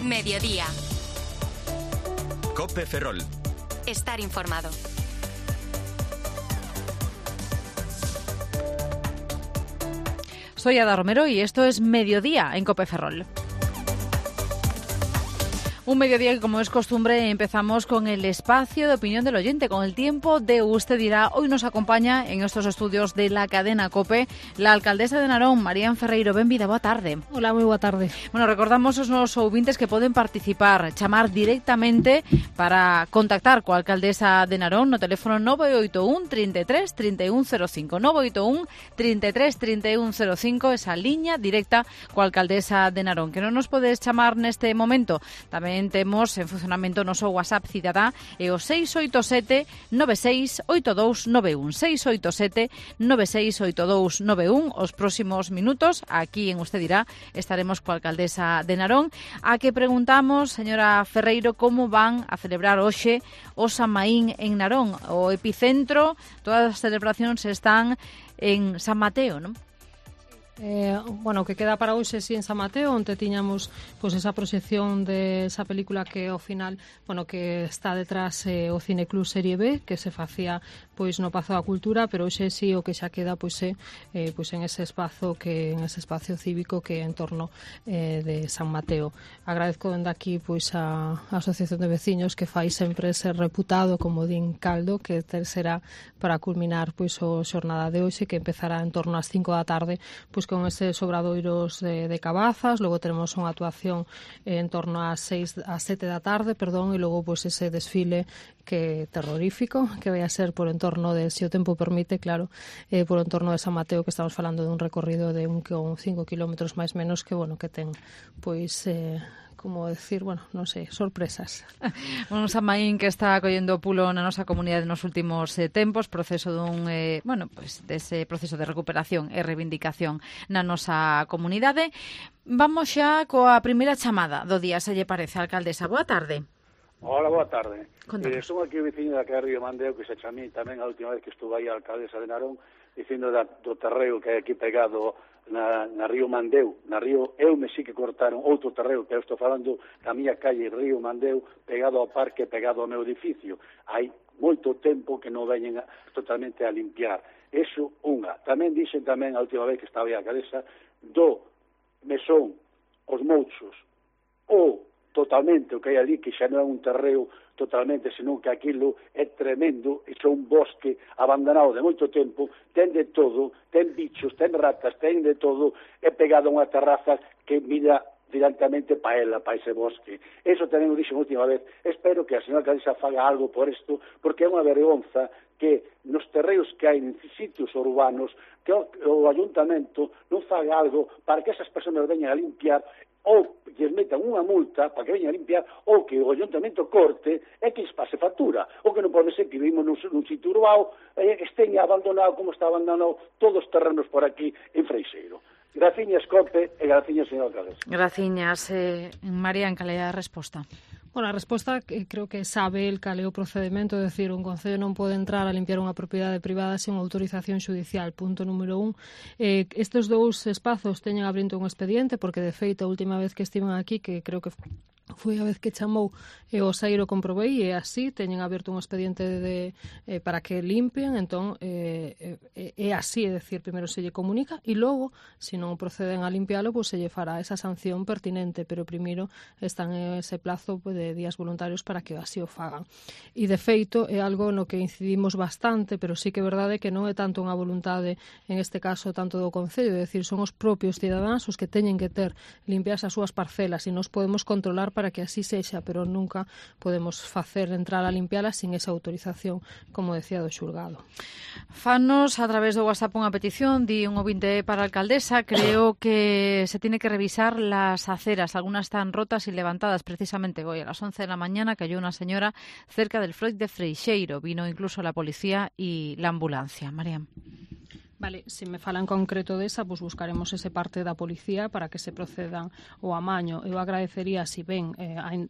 Mediodía. COPE Ferrol. Estar informado. Soy Ada Romero y esto es Mediodía en COPE Ferrol. Un mediodía que, como es costumbre, empezamos con el espacio de opinión del oyente, con el tiempo de Usted Dirá. Hoy nos acompaña en estos estudios de la cadena COPE la alcaldesa de Narón, Marían Ferreiro. Benvida, boa tarde. Hola, moi boa tarde. Bueno, recordamos aos nosos ouvintes que poden participar, chamar directamente para contactar coa alcaldesa de Narón no teléfono 981 33 3105. 981 33 3105, esa liña directa coa alcaldesa de Narón. Que non nos podes chamar neste momento, tamén temos en funcionamento o noso WhatsApp cidadá e o 687 968291. 687 968291. Os próximos minutos, aquí en Usted Dirá, estaremos coa alcaldesa de Narón, a que preguntamos, señora Ferreiro, como van a celebrar hoxe o San Maín en Narón. O epicentro, todas as celebracións están en San Mateo, non? Bueno, que queda para hoxe en San Mateo, onde tiñamos pois esa proxección de esa película que ao final, bueno, que está detrás o Cineclub Serie B, que se facía pois no Pazo da Cultura, pero hoxe sí o que xa queda pois en ese espazo cívico que é en torno de San Mateo. Agradezco dende aquí pois a Asociación de Veciños que fai sempre ese reputado comodín caldo que será para culminar pois o xornada de hoxe, que empezará en torno ás 5 da tarde, pois con eses obradoiros de cabazas. Logo teremos unha actuación en torno ás 7 da tarde, e logo pois ese desfile que terrorífico, que vai a ser por entorno de, se o tempo permite, claro, por entorno de San Mateo, que estamos falando de un recorrido de 5 kilómetros máis menos, que bueno, que ten pois como decir, bueno, non sei, sorpresas. Un San Maín que está collendo pulo na nosa comunidade nos últimos tempos, proceso dun, dese proceso de recuperación e reivindicación na nosa comunidade. Vamos xa coa primeira chamada do día, se lle parece, alcaldesa. Boa tarde. Hola, boa tarde. Son aquí o veciño da Río Mandeo, que se chamei tamén a última vez que estuve aí a alcaldesa de Narón, dicindo do terreo que hai aquí pegado na Río Mandeu. Na Río Eume sí que cortaron outro terreo, que eu estou falando da miña calle Río Mandeu, pegado ao parque, pegado ao meu edificio. Hai moito tempo que non veñen totalmente a limpiar. Eso, unha. Tamén dixen tamén a última vez que estaba aí a alcaldesa do mesón, os mouchos, ou totalmente o que hai ali, que xa non é un terreo totalmente, senón que aquilo é tremendo, e é un bosque abandonado de moito tempo, ten de todo, ten bichos, ten ratas, ten de todo, é pegado a unha terraza que mira directamente para ela, para ese bosque. Eso tamén o dixen a última vez. Espero que a señora alcaldesa faga algo por isto, porque é unha vergonza que nos terreos que hai en sitios urbanos, que o ayuntamento non faga algo para que esas persoas veñan a limpiar, ou lles metan unha multa para que veñan a limpiar, ou que o ayuntamento corte e que lles pase factura. O que non pode ser que vivimos nun sitio urbano estén abandonado como está abandonado todos os terrenos por aquí en Freixeiro. Graciñas, COPE, e graciñas, señor alcalde. Graciñas. María, en calidad de resposta. Bueno, a resposta creo que sabe el cal é o procedimento, é dicir, un concello non pode entrar a limpiar unha propiedade privada sen autorización xudicial. Punto número 1. Estes dous espazos teñen abrindo un expediente, porque de feito a última vez que estiven aquí, que creo que foi a vez que chamou o Sairo, comprobei, e así teñen aberto un expediente para que limpien. Entón é así, é dicir, primeiro se lle comunica e logo, se non proceden a limpialo, pois se lle fará esa sanción pertinente, pero primeiro están en ese plazo de días voluntarios para que así o fagan. E de feito é algo no que incidimos bastante, pero sí que é verdade que non é tanto unha voluntade, en este caso, tanto do Concello, é dicir, son os propios cidadáns os que teñen que ter limpias as súas parcelas, e nos podemos controlar para que así sexa, pero nunca podemos facer entrar a limpiala sin esa autorización, como decía do xulgado. Fanos a través do WhatsApp unha petición, di un ouvinte para a alcaldesa. Creo que se tiene que revisar las aceras, algunas están rotas y levantadas. Precisamente hoy a las 11 de la mañana cayó una señora cerca del Freud de Freixeiro, vino incluso la policía y la ambulancia. María. Vale, se me fala en concreto desa, pois buscaremos ese parte da policía para que se procedan ao amaño. Eu agradecería se ben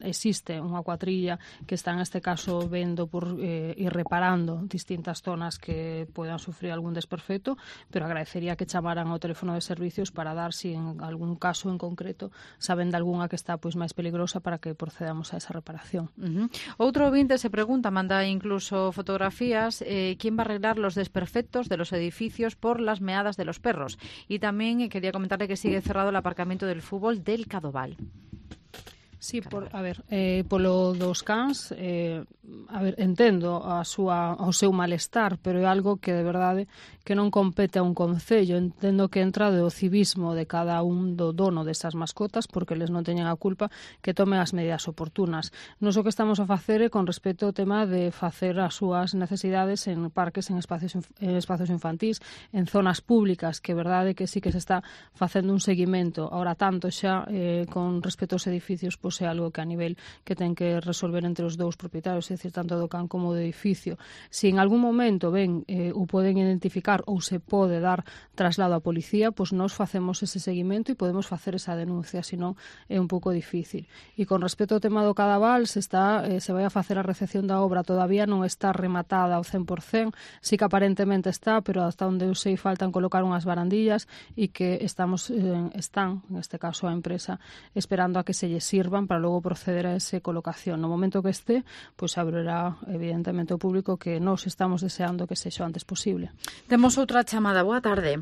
existe unha cuatrilla que está en este caso vendo por ir reparando distintas zonas que podan sufrir algún desperfecto, pero agradecería que chamaran ao teléfono de servicios para dar si en algún caso en concreto saben de algunha que está pois máis peligrosa para que procedamos a esa reparación. Outro ouvinte se pregunta, manda incluso fotografías, ¿quién va a arreglar los desperfectos de los edificios por las meadas de los perros? Y también quería comentarle que sigue cerrado el aparcamiento del fútbol del Cadoval. Sí, polo dos cans, entendo o seu malestar, pero é algo que de verdade que non compete a un concello. Entendo que entra do civismo de cada un do dono desas mascotas, porque eles non teñen a culpa, que tomen as medidas oportunas. Nos o que estamos a facer é con respecto ao tema de facer as súas necesidades en parques, en espacios infantís, en zonas públicas, que é verdade que sí que se está facendo un seguimento. Ahora tanto xa con respecto aos edificios, pois é algo que a nivel que ten que resolver entre os dous propietarios, é dicir, tanto do can como do edificio. Se en algún momento o poden identificar ou se pode dar traslado á policía, pois nós facemos ese seguimento e podemos facer esa denuncia, senón é un pouco difícil. E con respecto ao tema do Cadaval, se vai a facer a recepción da obra, todavía non está rematada ao 100%, sí que aparentemente está, pero hasta onde eu sei faltan colocar unhas barandillas e que están, neste caso a empresa, esperando a que se lle sirvan para logo proceder a esa colocación. No momento que esté, pois abrirá evidentemente ao público, que nós estamos deseando que sexa o antes posible. Temos outra chamada. Boa tarde.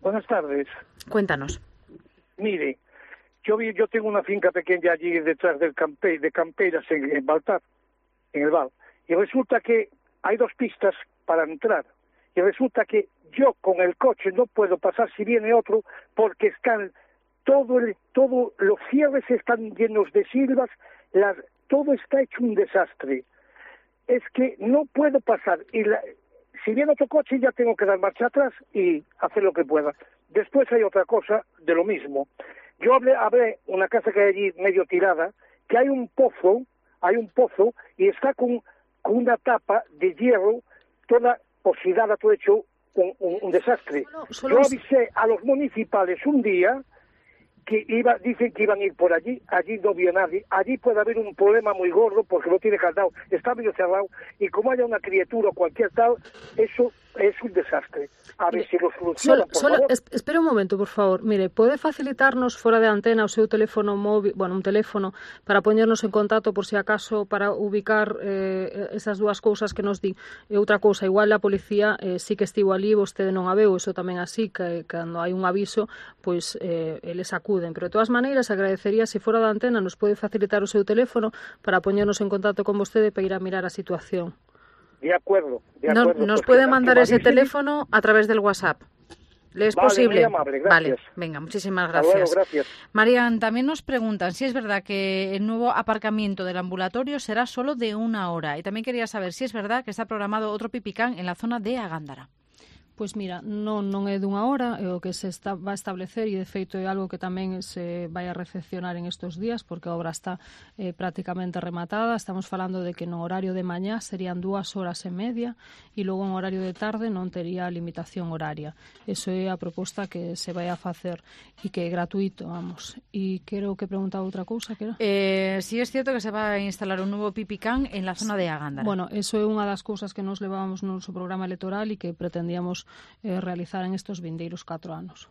Buenas tardes. Cuéntanos. Mire, yo tengo una finca pequeña allí detrás de Campeiras en Baltar, en el Val, y resulta que hay 2 pistas para entrar, y resulta que yo con el coche no puedo pasar si viene otro, porque están los cierres están llenos de silvas, todo está hecho un desastre. Es que no puedo pasar, y si viene otro coche ya tengo que dar marcha atrás y hacer lo que pueda. Después hay otra cosa de lo mismo. Yo hablé una casa que hay allí medio tirada, que hay un pozo y está con una tapa de hierro toda oxidada, todo hecho un desastre. Yo avisé a los municipales un día que dicen que iban a ir por allí no vio nadie, allí puede haber un problema muy gordo porque no tiene candado, está medio cerrado, y como haya una criatura o cualquier tal, eso es un desastre. A ver si lo solucionan, por favor. Espera un momento, por favor. Mire, pode facilitarnos fora de antena o seu teléfono móvil, un teléfono para poñernos en contacto por si acaso para ubicar esas dúas cousas que nos din. E outra cousa, igual a policía sí que estivo ali, vostede non a veu, iso tamén así, que cando hai un aviso, pois eles acuden. Pero de todas maneiras, agradecería se fora da antena nos pode facilitar o seu teléfono para poñernos en contacto con vostede para ir a mirar a situación. De acuerdo. Nos puede mandar ese teléfono a través del WhatsApp. ¿Le es posible? Muy amable, gracias. Vale, venga, muchísimas gracias. Luego, gracias. Marian, también nos preguntan si es verdad que el nuevo aparcamiento del ambulatorio será solo de 1 hora. Y también quería saber si es verdad que está programado otro pipicán en la zona de Agándara. Pois mira, non é dunha hora, é o que se va a establecer, e de feito é algo que tamén se vai a recepcionar en estes días, porque a obra está prácticamente rematada. Estamos falando de que no horario de mañá serían 2 horas e media, e logo en horario de tarde non tería limitación horaria. Eso é a proposta que se vai a facer, e que é gratuito, vamos. E quero que preguntaba outra cousa, que era? Sí es cierto que se va a instalar un nuevo pipicán en la zona de Agándara. Bueno, eso é unha das cousas que nos levábamos no noso programa electoral e que pretendíamos realizar en estos vindeiros 4 anos.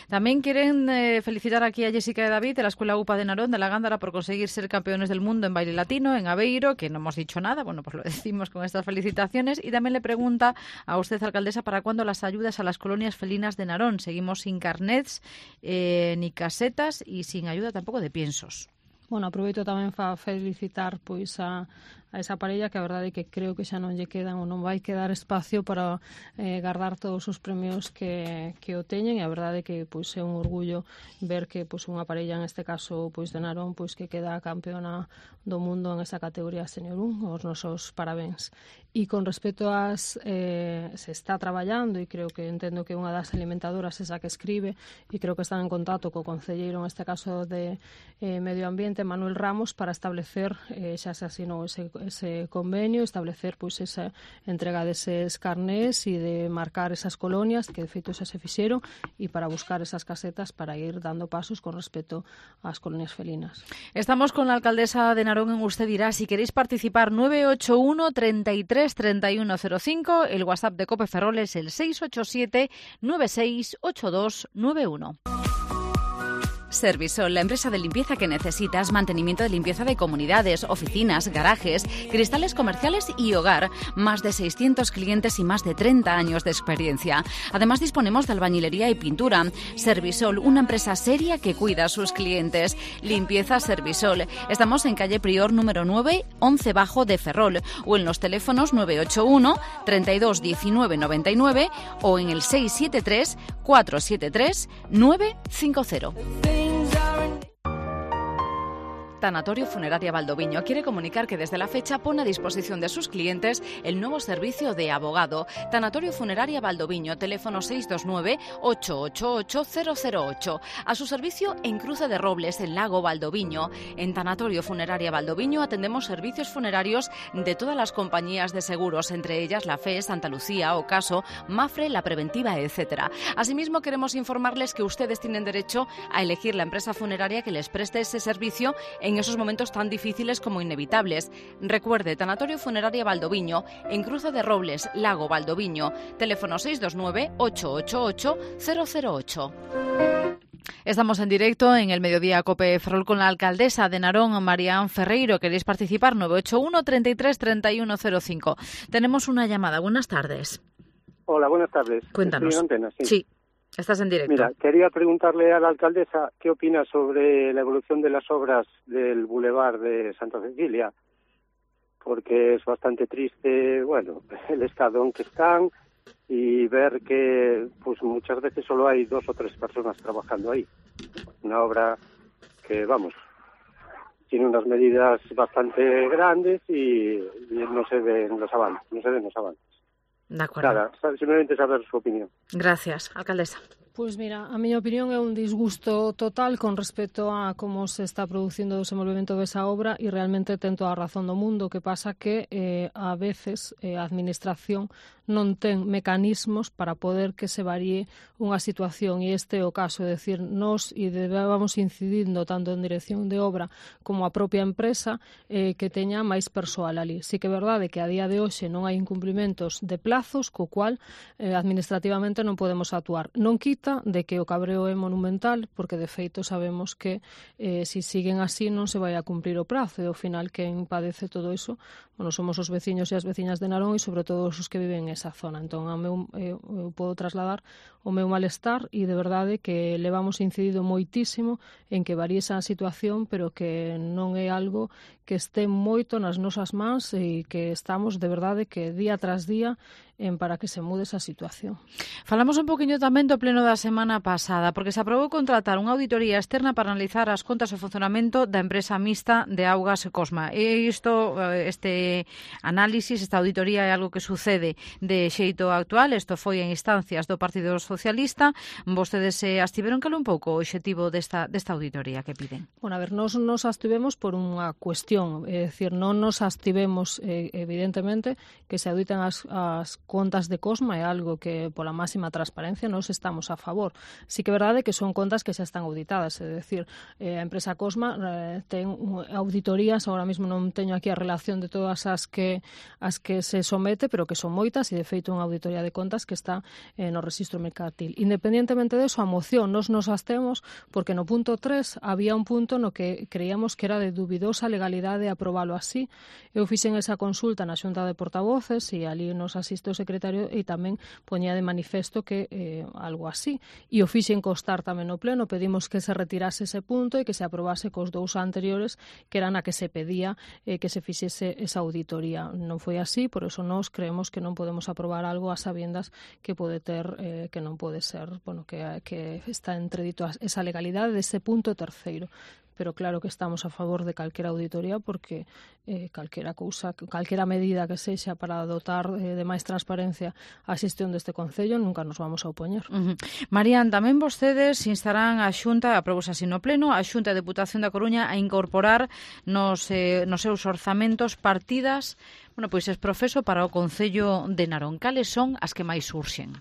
También quieren felicitar aquí a Jessica y David de la Escuela UPA de Narón de la Gándara por conseguir ser campeones del mundo en baile latino en Aveiro, que no hemos dicho nada, bueno, pues lo decimos con estas felicitaciones. Y también le pregunta a usted, alcaldesa, ¿para cuándo las ayudas a las colonias felinas de Narón? Seguimos sin carnets ni casetas y sin ayuda tampoco de piensos. Bueno, aproveito tamén para felicitar pois a esa parella, que a verdade é que creo que xa non lle quedan ou non vai quedar espacio para guardar todos os premios que o teñen, e a verdade é que pois é un orgullo ver que pois unha parella, en este caso pois de Narón, pois que queda campeona do mundo en esa categoría Senior 1, os nosos parabéns. E con respecto ás se está traballando, e creo que entendo que unha das alimentadoras esa que escribe, e creo que están en contacto co concelleiro, en este caso de Medio Ambiente, Manuel Ramos, para establecer, xa se asinou ese ese convenio, establecer pois esa entrega deses carnés e de marcar esas colonias, que de feito xa se fixeron, e para buscar esas casetas para ir dando pasos con respecto ás colonias felinas. Estamos con la alcaldesa de Narón en Usted Dirá. Si queréis participar, 981 33 3105, el WhatsApp de COPE Ferrol es el 687 968291. Servisol, la empresa de limpieza que necesitas, mantenimiento de limpieza de comunidades, oficinas, garajes, cristales comerciales y hogar. Más de 600 clientes y más de 30 años de experiencia. Además, disponemos de albañilería y pintura. Servisol, una empresa seria que cuida a sus clientes. Limpieza Servisol. Estamos en calle Prior número 9, 11 bajo de Ferrol, o en los teléfonos 981 32 19 99 o en el 673 473 950. Tanatorio Funeraria Valdoviño quiere comunicar que desde la fecha pone a disposición de sus clientes el nuevo servicio de abogado. Tanatorio Funeraria Valdoviño, teléfono 629-888-008. A su servicio en Cruce de Robles, en Lago Valdoviño. En Tanatorio Funeraria Valdoviño atendemos servicios funerarios de todas las compañías de seguros, entre ellas la FE, Santa Lucía, Ocaso, Mafre, La Preventiva, etc. Asimismo, queremos informarles que ustedes tienen derecho a elegir la empresa funeraria que les preste ese servicio en esos momentos tan difíciles como inevitables. Recuerde, Tanatorio Funeraria Valdoviño, en Cruce de Robles, Lago Valdoviño, teléfono 629-888-008. Estamos en directo en el Mediodía COPE Ferrol con la alcaldesa de Narón, Marián Ferreiro. ¿Queréis participar? 981 33 3105. Tenemos una llamada. Buenas tardes. Hola, buenas tardes. Cuéntanos. Estoy en antena, Sí. Estás en directo. Mira, quería preguntarle a la alcaldesa qué opina sobre la evolución de las obras del Boulevard de Santa Cecilia, porque es bastante triste, bueno, el estado en que están y ver que pues muchas veces solo hay 2 o 3 personas trabajando ahí. Una obra que, vamos, tiene unas medidas bastante grandes y no se ven los avances, De acuerdo. Nada, simplemente saber su opinión. Gracias, alcaldesa. Pois mira, a miña opinión é un disgusto total con respecto a como se está producindo o desenvolvemento desa obra e realmente ten toda a razón do mundo. O que pasa que a veces a administración non ten mecanismos para poder que se varíe unha situación e este é o caso, é dicir, nós vamos incidindo tanto en dirección de obra como a propia empresa que teña máis persoal ali. Sí que é verdade que a día de hoxe non hai incumplimentos de plazos, co cual administrativamente non podemos actuar. Non quita de que o cabreo é monumental, porque de feito sabemos que se siguen así non se vai a cumprir o prazo e ao final quen padece todo iso, bueno, somos os veciños e as veciñas de Narón e sobre todo os que viven en esa zona. Entón, eu podo trasladar o meu malestar e de verdade que levamos incidido moitísimo en que varíe esa situación, pero que non é algo que este moito nas nosas mans e que estamos de verdade que día tras día para que se mude esa situación. Falamos un poquinho tamén do pleno da semana pasada, porque se aprobou contratar unha auditoría externa para analizar as contas e o funcionamento da empresa mixta de Augas Cosma. E isto, este análisis, esta auditoría é algo que sucede de xeito actual. Isto foi en instancias do Partido Socialista. Vostedes se abstiveron, cal un pouco o obxectivo desta auditoría que piden? Bueno, a ver, nos abstivemos por unha cuestión, é dicir, non nos abstivemos evidentemente que se auditen as contas de Cosma, é algo que pola máxima transparencia nos estamos a favor. Sí que é verdade que son contas que xa están auditadas, é dicir, a empresa Cosma ten auditorías, agora mesmo non teño aquí a relación de todas as que se somete, pero que son moitas e de feito unha auditoría de contas que está no rexistro mercantil. Independientemente deso, a moción nos abstemos porque no punto 3 había un punto no que creíamos que era de dubidosa legalidade aprobalo así. Eu fixen esa consulta na Xunta de Portavoces e ali nos asiste o secretario e tamén poñía de manifesto que algo así. E o fixen constar tamén no pleno, pedimos que se retirase ese punto e que se aprobase cos 2 anteriores que eran a que se pedía que se fixese esa auditoría. Non foi así, por eso nós creemos que non podemos vamos a aprobar algo a sabiendas que pode ter, que non pode ser, bueno, que está entredito esa legalidade dese punto terceiro. Pero claro que estamos a favor de calquera auditoría porque calquera medida que sexa para dotar de máis transparencia a xestión deste Concello nunca nos vamos a opoñer. Marián, tamén vostedes instarán a Xunta, aprobouse así no Pleno, a Xunta de Deputación da Coruña a incorporar nos seus orzamentos partidas, pois es profeso para o Concello de Narón. Cales son as que máis surxen?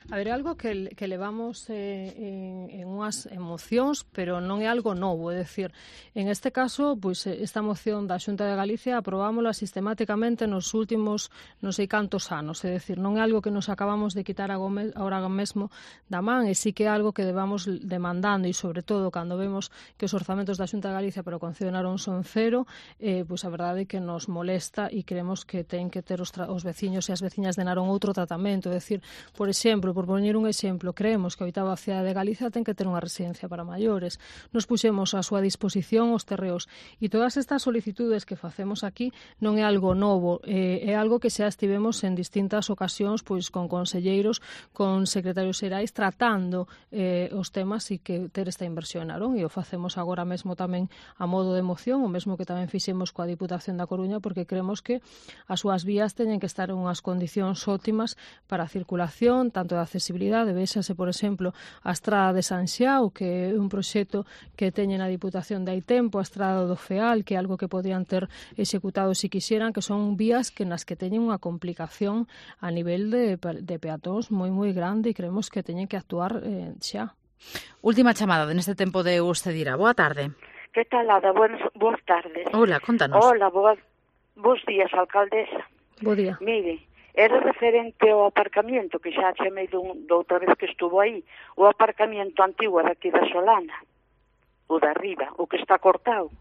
A ver, algo que levamos en unhas emocións, pero non é algo novo, é dicir, en este caso, pois esta moción da Xunta de Galicia aprobámola sistemáticamente nos últimos non sei cantos anos, é dicir, non é algo que nos acabamos de quitar agora mesmo da man, e sí que é algo que devamos demandando, e sobre todo cando vemos que os orzamentos da Xunta de Galicia para o Concello de Narón son cero, pois a verdade é que nos molesta e creemos que ten que ter os veciños e as veciñas de Narón outro tratamento, é dicir, por exemplo, por poñer un exemplo, creemos que a 8ª cidade de Galicia ten que ter unha residencia para maiores. Nos puxemos a súa disposición os terreos e todas estas solicitudes que facemos aquí non é algo novo, é algo que xa estivemos en distintas ocasións pois con conselleiros, con secretarios xerais tratando os temas e que ter esta inversión en Narón, e o facemos agora mesmo tamén a modo de moción, o mesmo que tamén fixemos coa Diputación da Coruña, porque creemos que as súas vías teñen que estar en unhas condicións óptimas para a circulación, tanto da accesibilidade, véxase, por exemplo, a Estrada de San Xiao, que é un proxecto que teñen a Diputación de hai tempo, a Estrada do Feal, que é algo que podían ter executado se quixeran, que son vías que nas que teñen unha complicación a nivel de peatóns moi grande, e creemos que teñen que actuar xa. Última chamada neste tempo de usted dirá. Boa tarde. Que tal, Ada? Boas tardes. Hola, contanos. Hola, bos días, alcaldesa. Bo día. Mire, era referente ao aparcamiento, que xa chamei doutra vez que estuvo aí, o aparcamiento antigo daqui da Solana, o da arriba, o que está cortado.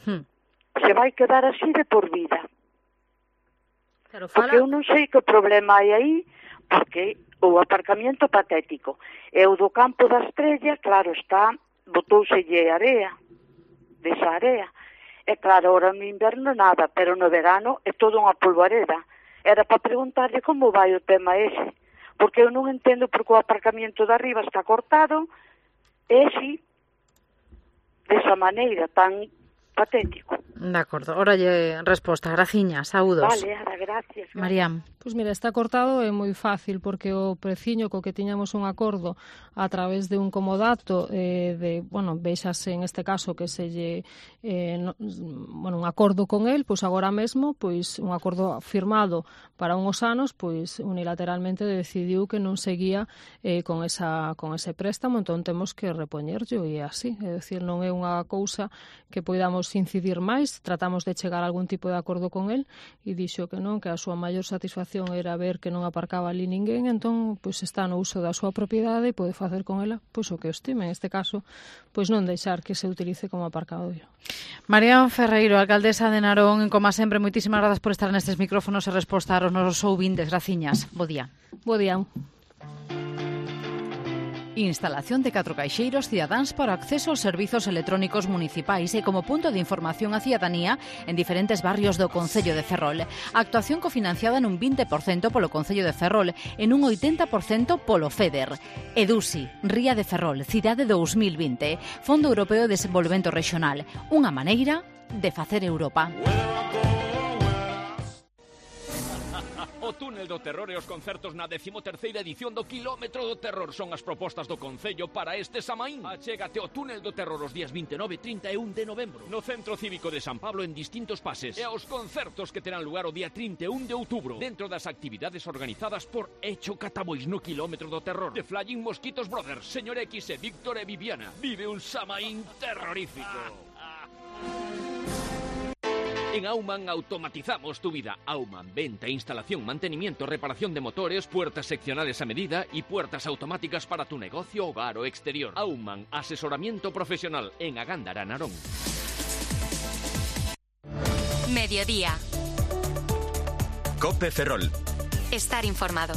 Se vai quedar así de por vida. Claro, porque eu non sei que problema hai aí, porque o aparcamiento patético. E o do campo da Estrella, claro, está, botouselle area, desa area. E claro, ahora no inverno nada, pero no verano é todo unha polvareda. Era para preguntarlle como vai o tema ese, porque eu non entendo porque o aparcamiento de arriba está cortado e si, desa maneira tan patético. De acordo, ora lle resposta. Graciñas, saúdos. Vale, gracias. Mariam. Pois mira, está cortado é moi fácil porque o preciño co que tiñamos un acordo a través de un comodato véxase en este caso que se lle un acordo con el, pois agora mesmo, pois un acordo firmado para unhos anos, pois unilateralmente decidiu que non seguía con ese préstamo, entón temos que repoñerllo e así, é dicir, non é unha cousa que poidamos incidir máis, tratamos de chegar a algún tipo de acordo con el e dixo que non, que a súa maior satisfacción era ver que non aparcaba ali ninguén, entón pois está no uso da súa propiedade e pode facer con ela pois o que estime, en este caso pois non deixar que se utilice como aparcadoiro. Marián Ferreiro, alcaldesa de Narón, como sempre, moitísimas grazas por estar nestes micrófonos e respostar aos nosos ouvintes. Graciñas. Bo día. Bo día. Instalación de 4 caixeiros cidadáns para acceso aos servizos electrónicos municipais e como punto de información á cidadanía en diferentes barrios do Concello de Ferrol. Actuación cofinanciada nun 20% polo Concello de Ferrol e nun 80% polo FEDER. EDUSI, Ría de Ferrol, Cidade 2020, Fondo Europeo de Desenvolvemento Regional. Unha maneira de facer Europa. O túnel do terror e os concertos na 13ª edición do Quilómetro do Terror son as propostas do Concello para este Samaín. Achégate ao túnel do terror os días 29 e 31 de novembro no Centro Cívico de San Pablo en distintos pases e aos concertos que terán lugar o día 31 de outubro dentro das actividades organizadas por Echo Catabois no Quilómetro do Terror, The Flying Mosquitos Brothers, Señor X e Víctor e Viviana. Vive un Samaín terrorífico. En Auman automatizamos tu vida. Auman, venta, instalación, mantenimiento, reparación de motores, puertas seccionales a medida y puertas automáticas para tu negocio, hogar o exterior. Auman, asesoramiento profesional en Agándara, Narón. Mediodía. COPE Ferrol. Estar informado.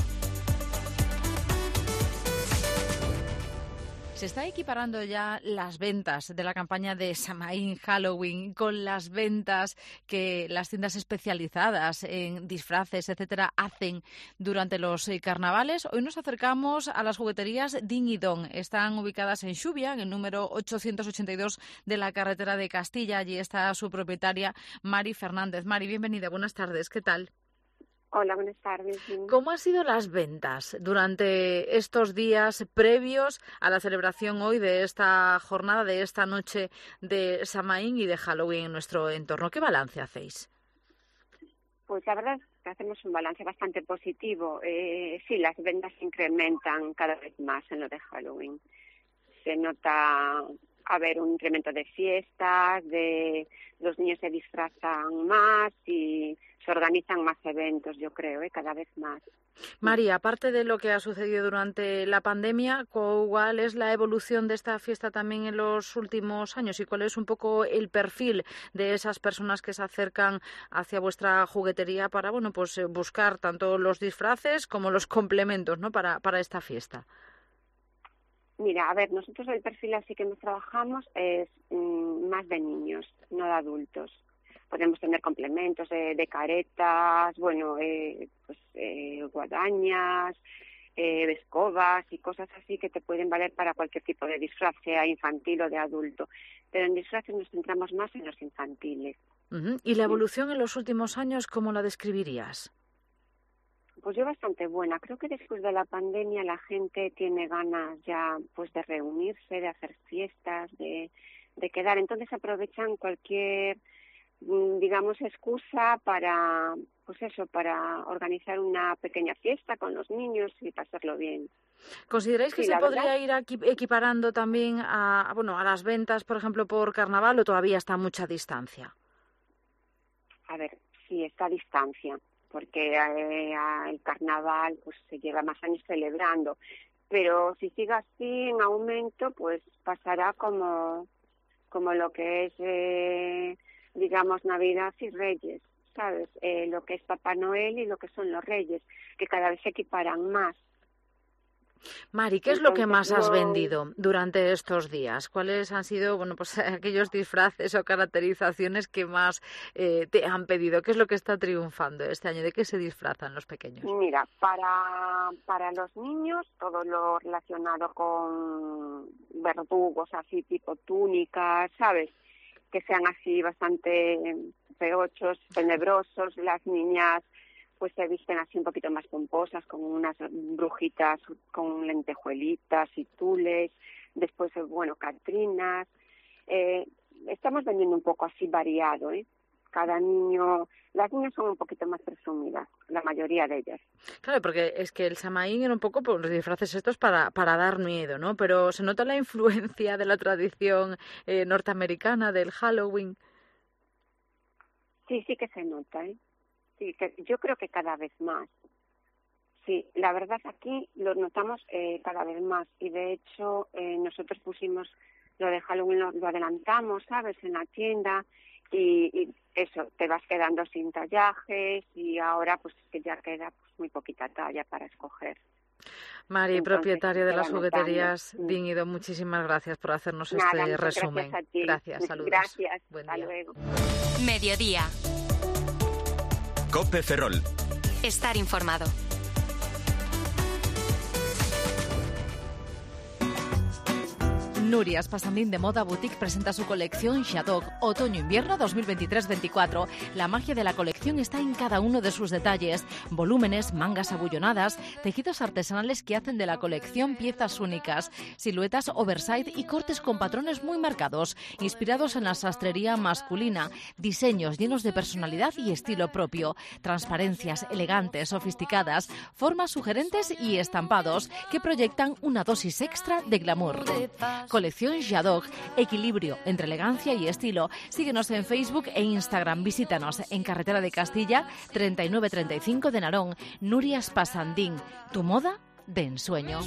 Se está equiparando ya las ventas de la campaña de Samaín Halloween con las ventas que las tiendas especializadas en disfraces, etcétera, hacen durante los carnavales. Hoy nos acercamos a las jugueterías Din y Don. Están ubicadas en Xubia, en el número 882 de la carretera de Castilla. Allí está su propietaria, Mari Fernández. Mari, bienvenida, buenas tardes, ¿qué tal? Hola, buenas tardes. ¿Cómo han sido las ventas durante estos días previos a la celebración hoy de esta jornada, de esta noche de Samaín y de Halloween en nuestro entorno? ¿Qué balance hacéis? Pues la verdad es que hacemos un balance bastante positivo. Sí, las ventas se incrementan cada vez más en lo de Halloween. Se nota haber un incremento de fiestas, de los niños se disfrazan más y se organizan más eventos, yo creo, cada vez más. María, aparte de lo que ha sucedido durante la pandemia, ¿cuál es la evolución de esta fiesta también en los últimos años y cuál es un poco el perfil de esas personas que se acercan hacia vuestra juguetería para, bueno, pues buscar tanto los disfraces como los complementos, ¿no?, para esta fiesta? Mira, a ver, nosotros el perfil así que nos trabajamos es más de niños, no de adultos. Podemos tener complementos de caretas, bueno, guadañas, escobas y cosas así que te pueden valer para cualquier tipo de disfraz, sea infantil o de adulto. Pero en disfraces nos centramos más en los infantiles. Uh-huh. ¿Y la evolución en los últimos años, cómo la describirías? Pues yo bastante buena. Creo que después de la pandemia la gente tiene ganas ya pues de reunirse, de hacer fiestas, de quedar. Entonces aprovechan cualquier, digamos, excusa para, pues eso, para organizar una pequeña fiesta con los niños y pasarlo bien. ¿Consideráis que se podría ir equiparando también a las ventas, por ejemplo, por carnaval o todavía está a mucha distancia? A ver, sí, está a distancia, porque el carnaval pues se lleva más años celebrando, pero si sigue así en aumento, pues pasará como lo que es, digamos, Navidad y Reyes, ¿sabes? Lo que es Papá Noel y lo que son los Reyes, que cada vez se equiparan más. Mari, ¿qué es lo que más has vendido durante estos días? ¿Cuáles han sido, pues aquellos disfraces o caracterizaciones que más te han pedido? ¿Qué es lo que está triunfando este año? ¿De qué se disfrazan los pequeños? Mira, para los niños todo lo relacionado con verdugos, así tipo túnicas, ¿sabes? Que sean así bastante feochos, tenebrosos. Las niñas pues se visten así un poquito más pomposas, con unas brujitas con lentejuelitas y tules, después, catrinas. Estamos vendiendo un poco así variado, Cada niño, las niñas son un poquito más presumidas, la mayoría de ellas. Claro, porque es que el Samaín era un poco los disfraces estos para dar miedo, ¿no? Pero se nota la influencia de la tradición norteamericana del Halloween. Sí que se nota, Sí, yo creo que cada vez más. Sí, la verdad aquí lo notamos cada vez más y de hecho nosotros pusimos lo de Halloween, lo adelantamos, ¿sabes?, en la tienda y eso, te vas quedando sin tallajes y ahora pues que ya queda pues muy poquita talla para escoger. Mari, entonces, propietaria de las jugueterías Din y Don, muchísimas gracias por hacernos este resumen. Gracias a ti. Gracias, saludos. Gracias, buen hasta día. luego. Mediodía. COPE Ferrol. Estar informado. Nurias Passandín de Moda Boutique presenta su colección Shadok Otoño-Invierno 2023-24. La magia de la colección está en cada uno de sus detalles. Volúmenes, mangas abullonadas, tejidos artesanales que hacen de la colección piezas únicas, siluetas oversize y cortes con patrones muy marcados, inspirados en la sastrería masculina, diseños llenos de personalidad y estilo propio, transparencias elegantes, sofisticadas, formas sugerentes y estampados que proyectan una dosis extra de glamour. Colección Shadok, equilibrio entre elegancia y estilo. Síguenos en Facebook e Instagram. Visítanos en Carretera de Castilla, 3935 de Narón. Nurias Passandín, tu moda de ensueño.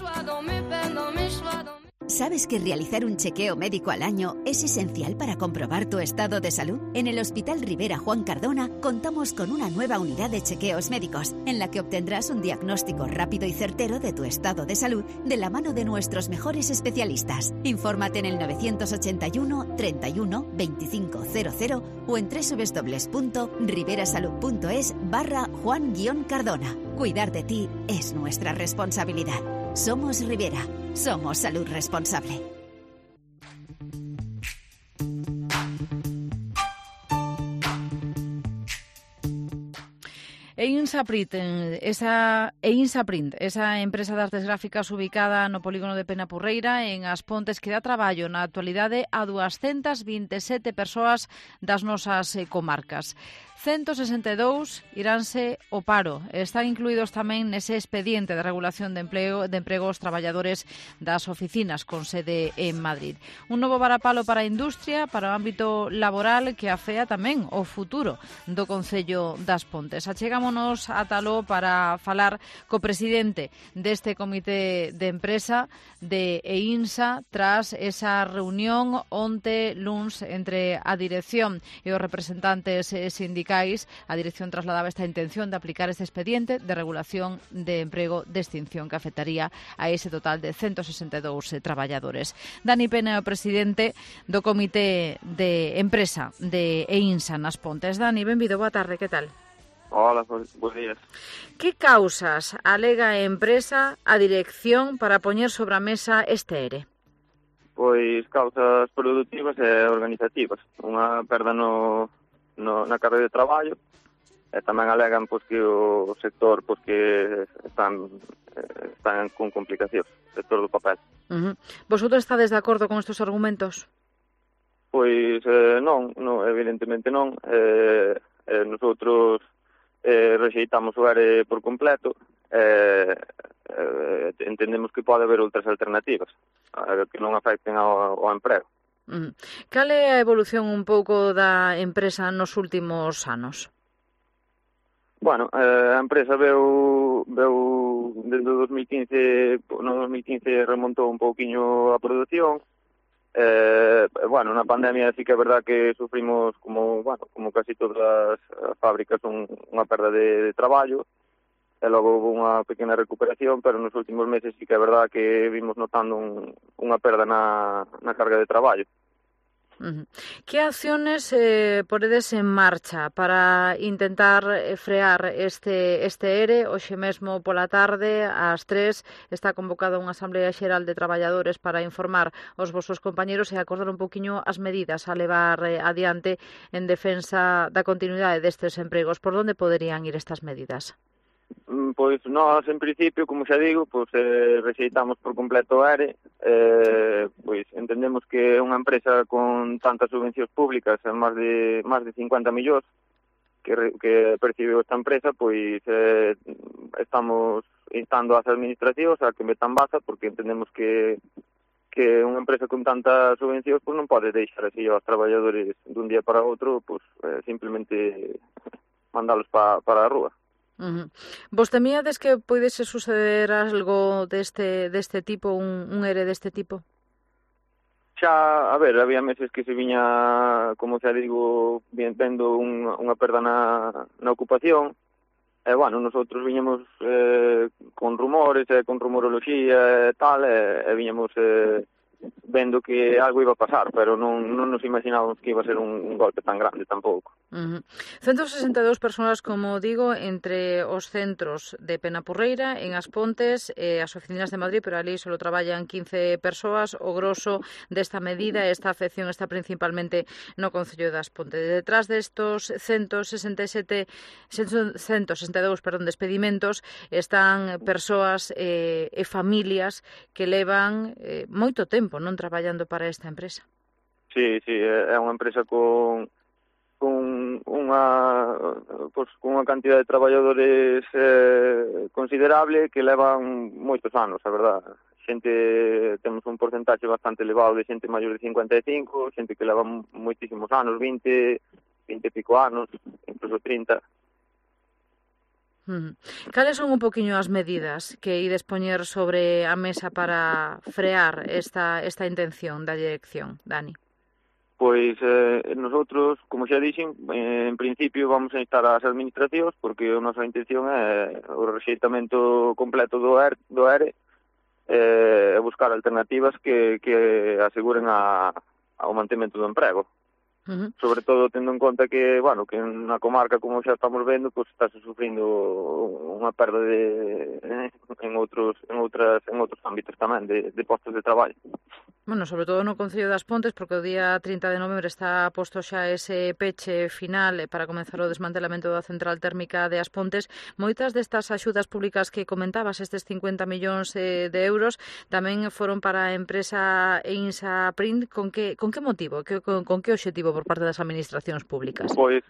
¿Sabes que realizar un chequeo médico al año es esencial para comprobar tu estado de salud? En el Hospital Rivera Juan Cardona contamos con una nueva unidad de chequeos médicos en la que obtendrás un diagnóstico rápido y certero de tu estado de salud de la mano de nuestros mejores especialistas. Infórmate en el 981 31 25 00 o en www.riverasalud.es/Juan-Cardona. Cuidar de ti es nuestra responsabilidad. Somos Rivera. Somos salud responsable. Einsaprint, esa empresa de artes gráficas ubicada no polígono de Penapurreira, en As Pontes, que dá traballo na actualidade a 227 persoas das nosas comarcas. 162 iránse ao paro. Están incluídos tamén nese expediente de regulación de emprego os traballadores das oficinas con sede en Madrid. Un novo varapalo para a industria, para o ámbito laboral, que afea tamén o futuro do Concello das Pontes. Achegámonos a Taló para falar co presidente deste comité de empresa de EINSA tras esa reunión onte luns entre a dirección e os representantes sindicais. A dirección trasladaba esta intención de aplicar este expediente de regulación de emprego de extinción que afectaría a ese total de 162 traballadores. Dani Pena é o presidente do comité de empresa de EINSA nas Pontes. Dani, benvido, boa tarde, que tal? Hola, bons días. Que causas alega a empresa a dirección para poñer sobre a mesa este ERE? Pois causas productivas e organizativas. Unha perda na carga de traballo, e tamén alegan pois que o sector pois que están con complicacións, o sector do papel. Vosotros estades de acordo con estes argumentos? Pois non, evidentemente non. Nosotros rexeitamos o ERE por completo. Entendemos que pode haber outras alternativas que non afecten ao emprego. Cal é a evolución un pouco da empresa nos últimos anos? Bueno, a empresa veu desde o 2015, no 2015 remontou un pouquiño a produción. Bueno, na pandemia sí que é verdad que sufrimos como casi todas as fábricas unha perda de traballo. E logo houve unha pequena recuperación, pero nos últimos meses sí que é verdad que vimos notando unha perda na carga de traballo. Que acciones poredes en marcha para intentar frear este ERE? Hoxe mesmo pola tarde, ás 3, está convocada unha Asamblea Xeral de Traballadores para informar os vosos compañeros e acordar un poquinho as medidas a levar adiante en defensa da continuidade destes empregos. Por onde poderían ir estas medidas? Pois nós, en principio, como xa digo, pois rexeitamos por completo o ERE. Pois entendemos que unha empresa con tantas subvencións públicas, máis de 50 millóns que percibiu esta empresa, pois estamos instando ás administracións a que metan baza, porque entendemos que unha empresa con tantas subvencións pois non pode deixar así aos traballadores dun día para outro, pois simplemente mandalos para a rúa. Vos temíades que poidese suceder algo deste tipo, un ERE deste tipo? Xa, a ver, había meses que se viña, como xa digo, vendo unha perda na ocupación. Bueno, nosotros viñamos con rumores, con rumoroloxía e tal, e viñamos vendo que algo iba a pasar, pero non nos imaginábamos que iba a ser un golpe tan grande tampouco. 162 persoas, como digo, entre os centros de Penapurreira, en As Pontes, as oficinas de Madrid, pero ali só traballan 15 persoas. O grosso desta medida, esta afección está principalmente no Concello das Pontes. Detrás destos 162 despedimentos están persoas e familias que levan moito tempo non traballando para esta empresa. Sí, é unha empresa con unha cantidad de traballadores considerable que levan moitos anos, a verdad. Temos un porcentaxe bastante elevado de xente maior de 55, xente que leva moitísimos anos, 20 e pico anos, incluso 30. Cales son un poquinho as medidas que ides poñer sobre a mesa para frear esta intención da dirección, Dani? Pois nosotros, como xa dixen, en principio vamos a instar as administracións porque a nosa intención é o rexeitamento completo do ERE e buscar alternativas que aseguren ao mantemento do emprego. Sobre todo tendo en conta que, bueno, que na comarca, como xa estamos vendo, pues está sufrindo unha perda en outros ámbitos tamén de postos de traballo. Bueno, sobre todo no Concello das Pontes, porque o día 30 de novembro está posto xa ese peche final para comenzar o desmantelamento da central térmica de As Pontes. Moitas destas axudas públicas que comentabas, estes 50 millóns de euros, tamén foron para a empresa EINSA Print. Con que motivo? Con que obxectivo por parte das administracións públicas? Pois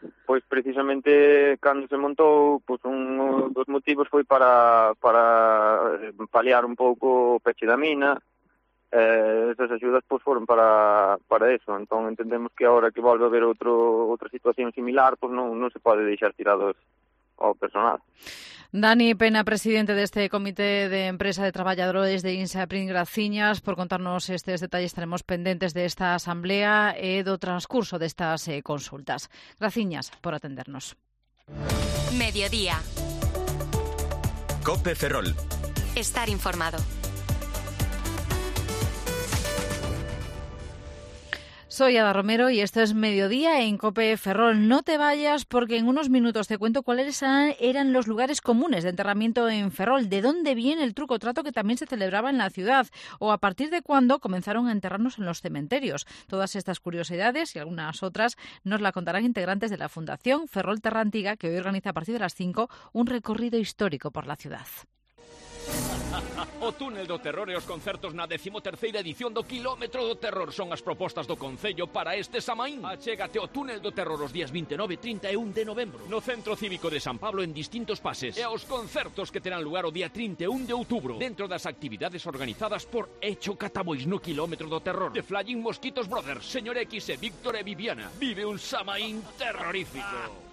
precisamente cando se montou, pois un dos motivos foi para paliar un pouco o peche da mina. Esas axudas pois foron para eso. Entón entendemos que agora que volve a haber outra situación similar, pois non se pode deixar tirados ao personal. Dani Pena, presidente deste Comité de Empresa de Traballadores de INSA Print, graciñas por contarnos estes detalles. Estaremos pendentes desta asamblea e do transcurso destas consultas. Graciñas por atendernos. Mediodía. COPE Ferrol. Estar informado. Soy Ada Romero y esto es Mediodía en COPE Ferrol. No te vayas porque en unos minutos te cuento cuáles eran los lugares comunes de enterramiento en Ferrol, de dónde viene el truco-trato que también se celebraba en la ciudad o a partir de cuándo comenzaron a enterrarnos en los cementerios. Todas estas curiosidades y algunas otras nos la contarán integrantes de la Fundación Ferrol Terra Antiga, que hoy organiza a partir de las 5 un recorrido histórico por la ciudad. O túnel do terror e os concertos na 13ª edición do Quilómetro do Terror son as propostas do Concello para este Samaín. Achégate ao túnel do terror os días 29 e 31 de novembro no Centro Cívico de San Pablo en distintos pases e aos concertos que terán lugar o día 31 de outubro dentro das actividades organizadas por Echo Catabois no Quilómetro do Terror. The Flying Mosquitos Brothers, Señor X e Víctor e Viviana. Vive un Samaín terrorífico.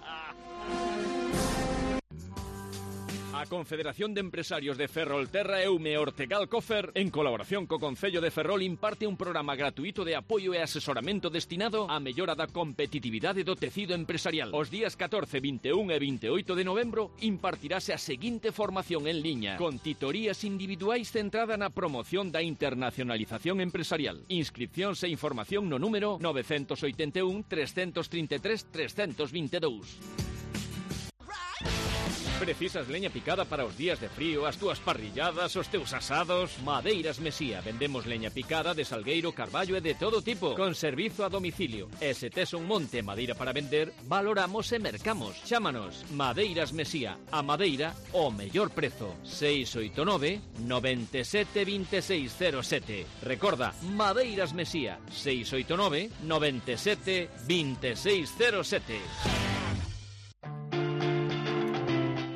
A Confederación de Empresarios de Ferrolterra Eume Ortegal Cofer, en colaboración co Concello de Ferrol, imparte un programa gratuito de apoio e asesoramento destinado á mellora da competitividade do tecido empresarial. Os días 14, 21 e 28 de novembro impartirase a seguinte formación en liña, con titorías individuais centrada na promoción da internacionalización empresarial. Inscripcións e información no número 981 333 322. Precisas leña picada para os días de frío, as túas parrilladas, os teus asados? Madeiras Mesía. Vendemos leña picada de salgueiro, carballo e de todo tipo, con servizo a domicilio. E se tes un monte de madeira para vender, valoramos e mercamos. Chámanos Madeiras Mesía. A madeira, o mellor prezo. 689 97 2607. Recorda, Madeiras Mesía. 689 97 2607.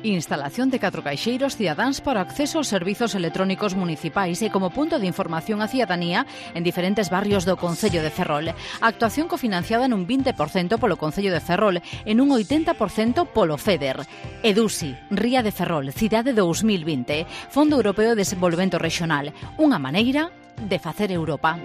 Instalación de 4 caixeiros cidadáns para acceso aos servizos electrónicos municipais e como punto de información á cidadanía en diferentes barrios do Concello de Ferrol. Actuación cofinanciada nun 20% polo Concello de Ferrol e nun 80% polo FEDER. EDUSI, Ría de Ferrol, Cidade 2020, Fondo Europeo de Desenvolvemento Regional, unha maneira de facer Europa.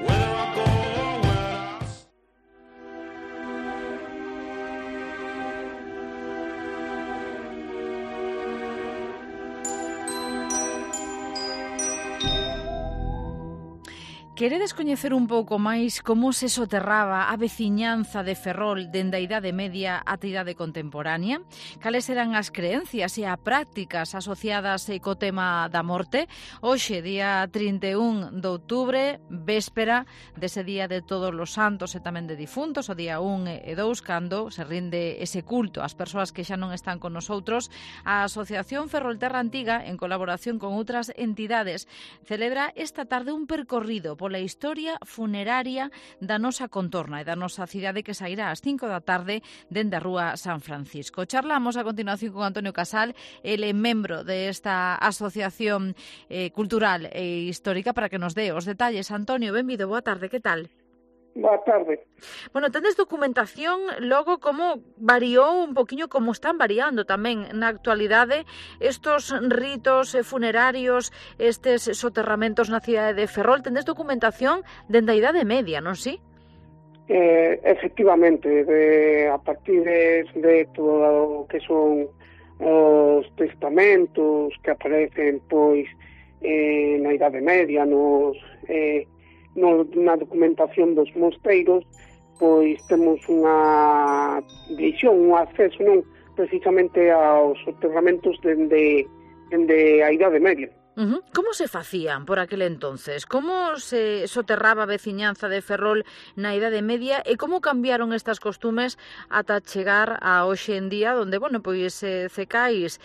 Queredes coñecer un pouco máis como se soterraba a veciñanza de Ferrol dende a Idade Media ata a Idade Contemporánea? Cales eran as creencias e as prácticas asociadas co tema da morte? Hoxe, día 31 de outubro, véspera dese día de todos os santos e tamén de difuntos, o día 1 e 2, cando se rinde ese culto ás persoas que xa non están con nosotros, a Asociación Ferrol Terra Antiga, en colaboración con outras entidades, celebra esta tarde un percorrido pola historia funeraria da nosa contorna e da nosa cidade que sairá ás 5 da tarde dende a Rúa San Francisco. Charlamos a continuación con Antonio Casal, ele é membro desta asociación cultural e histórica, para que nos dé os detalles. Antonio, benvido, boa tarde, que tal? Boa tarde. Bueno, tendes documentación logo como variou un poquinho, como están variando tamén na actualidade estos ritos funerarios, estes soterramentos na cidade de Ferrol. Tendes documentación dende a Idade Media, non si? Efectivamente, a partir de todo o que son os testamentos que aparecen pois na Idade Media, na documentación dos mosteiros, pois temos unha visión, un acceso precisamente aos soterramentos dende a Idade Media. Como se facían por aquel entonces? Como se soterraba a veciñanza de Ferrol na Idade Media e como cambiaron estas costumes ata chegar a hoxe en día, onde, pois cecais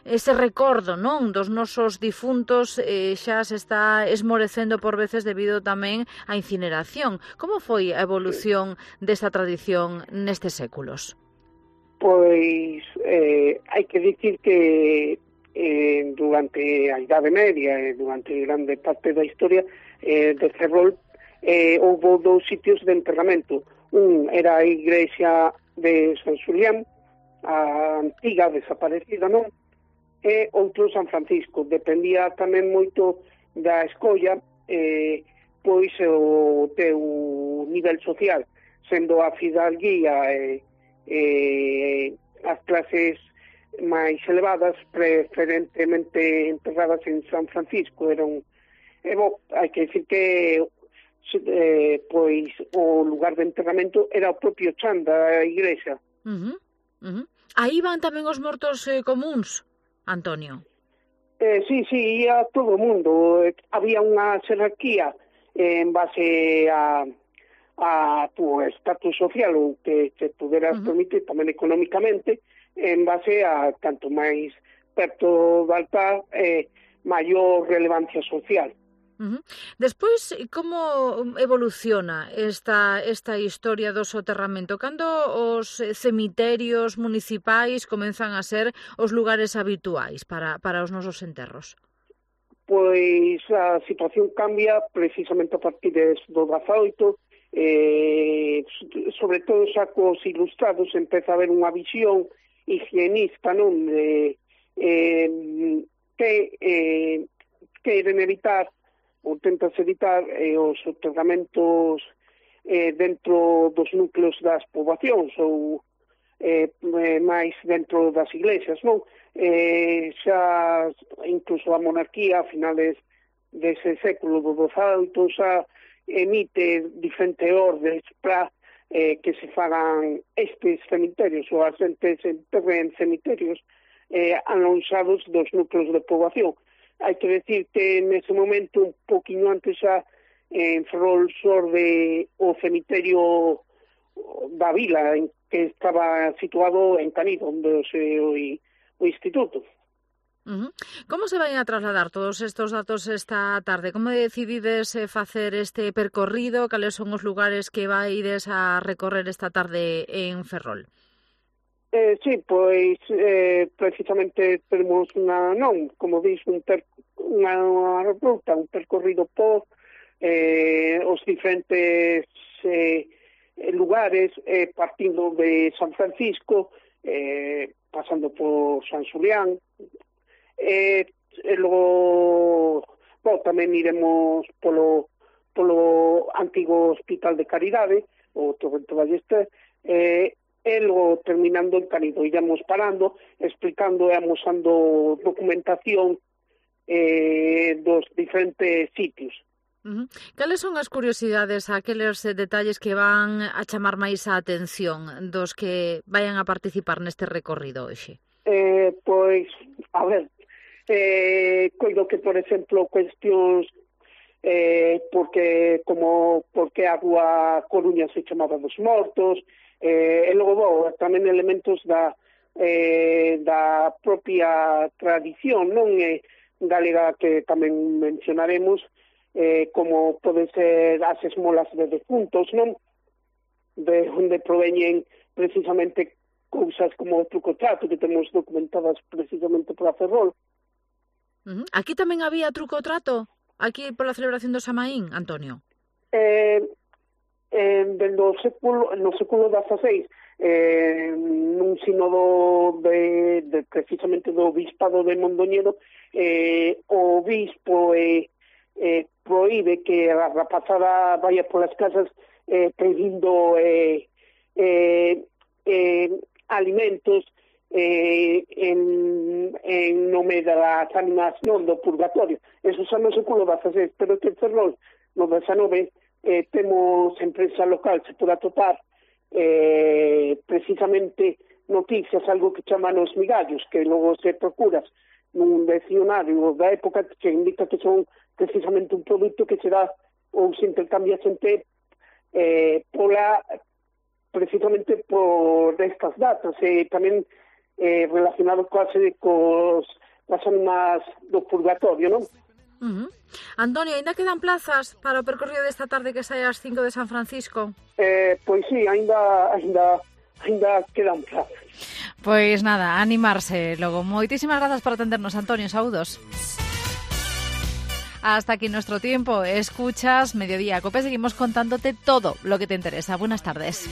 ese recordo, non, dos nosos difuntos xa se está esmorecendo por veces debido tamén á incineración. Como foi a evolución desta tradición nestes séculos? Pois hai que dicir que durante a Idade Media e durante grande parte da historia de Ferrol houve dous sitios de enterramento. Un era a igrexa de San Xulián, a antiga desaparecida, non? E outro San Francisco. Dependía tamén moito da escolla, pois o teu nivel social, sendo a fidalguía e as clases máis elevadas preferentemente enterradas en San Francisco. Hai que decir que pois o lugar de enterramento era o propio chan da igrexa. Aí van tamén os mortos comuns, Antonio? Sí, ia todo o mundo. Había unha xerarquía en base a tu estatus social ou que te puderas permitir tamén económicamente, en base a canto máis perto do altar maior relevancia social. Despois, como evoluciona esta historia do soterramento? Cando os cemiterios municipais comenzan a ser os lugares habituais para os nosos enterros? Pois a situación cambia precisamente a partir do 18, sobre todo xa cos ilustrados empeza a haber unha visión higienista, non? Que queren evitar ou tentas evitar os soterramentos dentro dos núcleos das poboacións ou máis dentro das iglesias, non? Xa incluso a monarquía a finales dese século do XVIII xa emite diferentes ordes para que se fagan estes cemiterios ou as xentes enterren cemiterios alonxados dos núcleos de poboación. Hai que decir que nese momento, un poquinho antes xa, en Ferrol xorde o cemiterio da vila, en que estaba situado en Canido, onde o instituto. Como se vai a trasladar todos estes datos esta tarde? Como decidides facer este percorrido? Cales son os lugares que vaides a recorrer esta tarde en Ferrol? Sí, pois precisamente temos como dís, unha ruta, un percorrido por os diferentes lugares, partindo de San Francisco, pasando por San Xulián, e logo tamén iremos polo antigo Hospital de Caridade, o Torrento Ballester, e logo terminando en Canido. Iremos parando, explicando e amosando documentación dos diferentes sitios. Cales son as curiosidades, aqueles detalles que van a chamar máis a atención dos que vayan a participar neste recorrido hoxe? Pois, a ver, coido que, por exemplo, cuestións porque a rúa Coruña se chamaba dos Mortos, e logo tamén elementos da propia tradición, non, galega, que tamén mencionaremos, como pode ser as esmolas de defuntos, non, de onde proveñen precisamente cousas como o truco-trato, que temos documentadas precisamente por a Ferrol. Aquí tamén había truco-trato? Aquí pola celebración do Samaín, Antonio? no século XVI, nun sínodo precisamente do Bispado de Mondoñedo, o obispo proíbe que a rapazada vaya polas casas pedindo alimentos en nome das ánimas non do purgatorio. Eso xa no século XVI, pero que Ferrol no XIX temos en prensa local, se pode atopar precisamente noticias, algo que chaman os migallos, que logo se procuras nun diccionario da época, que indica que son precisamente un produto que se dá ou se intercambia xente precisamente por estas datas, tamén relacionado coas ánimas do purgatorio, non? Antonio, ainda quedan plazas para o percorrido desta tarde que sae ás 5 de San Francisco? Pois sí, ainda quedan plazas. Pois nada, animarse logo. Moitísimas grazas por atendernos, Antonio, saúdos. Hasta aquí nuestro tiempo. Escuchas Mediodía Cope, seguimos contándote todo lo que te interesa. Buenas tardes.